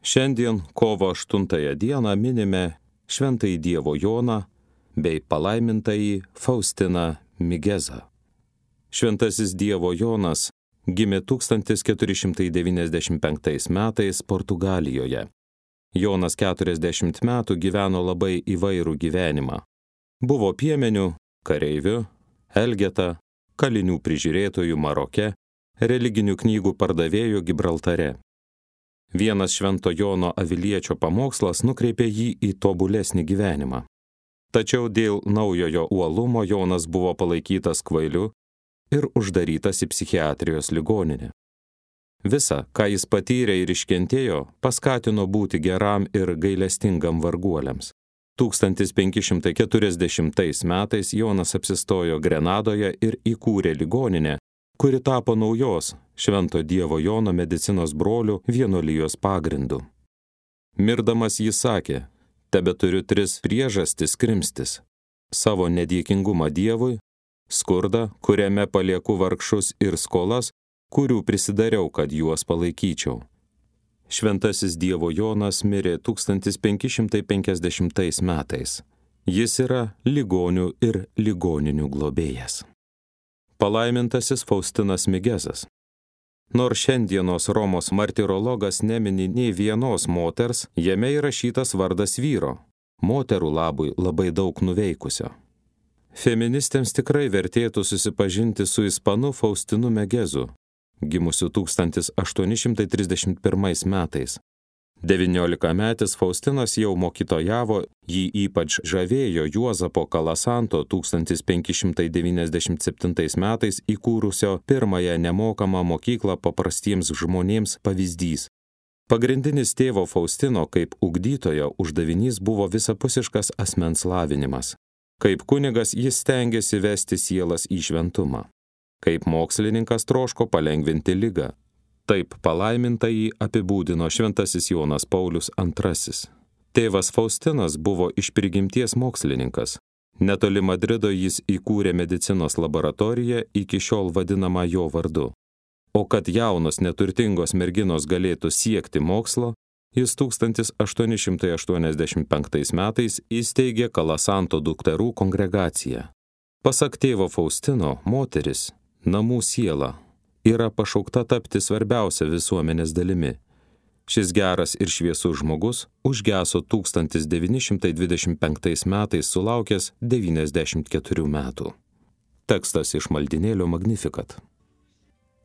Šiandien kovo 8 dieną minime Šventąjį Dievo Joną bei palaimintąjį Faustiną Migezą. Šventasis Dievo Jonas gimė 1495 metais Portugalijoje. Jonas 40 metų gyveno labai įvairų gyvenimą. Buvo piemeniu, kareiviu, elgeta, kalinių prižiūrėtojų Maroke, religinių knygų pardavėjų Gibraltare. Vienas Švento Jono Aviliečio pamokslas nukreipė jį į tobulesnį gyvenimą. Tačiau dėl naujojo uolumo Jonas buvo palaikytas kvailiu ir uždarytas į psichiatrijos ligoninę. Visa, ką jis patyrė ir iškentėjo, paskatino būti geram ir gailestingam varguoliams. 1540 metais Jonas apsistojo Grenadoje ir įkūrė ligoninę, kuri tapo naujos Švento Dievo Jono medicinos brolių vienuolijos pagrindu. Mirdamas jis sakė: tebeturiu 3 priežastis krimstis: savo nedėkingumą Dievui, skurdą, kuriame palieku vargšus, ir skolas, kurių prisidariau, kad juos palaikyčiau. Šventasis Dievo Jonas mirė 1550 metais. Jis yra ligonių ir ligoninių globėjas. Palaimintasis Faustinas Migezas. Nors šiandienos Romos martirologas nemini nei vienos moters, jame įrašytas vardas vyro, moterų labui labai daug nuveikusio. Feministėms tikrai vertėtų susipažinti su ispanu Faustinu Migezu, gimusiu 1831 metais. 19-metis Faustinas jau mokytojavo, jį ypač žavėjo Juozapo Kalasanto 1597 metais įkūrusio pirmąją nemokamą mokyklą paprastiems žmonėms pavyzdys. Pagrindinis tėvo Faustino kaip ugdytojo uždavinys buvo visapusiškas asmens lavinimas. Kaip kunigas jis stengėsi vesti sielas į šventumą. Kaip mokslininkas troško palengvinti ligą. Taip palaimintąjį apibūdino šventasis Jonas Paulius II. Tėvas Faustinas buvo iš prigimties mokslininkas. Netoli Madrido jis įkūrė medicinos laboratoriją, iki šiol vadinamą jo vardu. O kad jaunos neturtingos merginos galėtų siekti mokslo, jis 1885 metais įsteigė Kalasanto dukterų kongregaciją. Pasak tėvo Faustino, moteris, namų siela, yra pašaukta tapti svarbiausia visuomenės dalimi. Šis geras ir šviesus žmogus užgeso 1925 metais sulaukęs 94 metų. Tekstas iš maldynėlio Magnificat.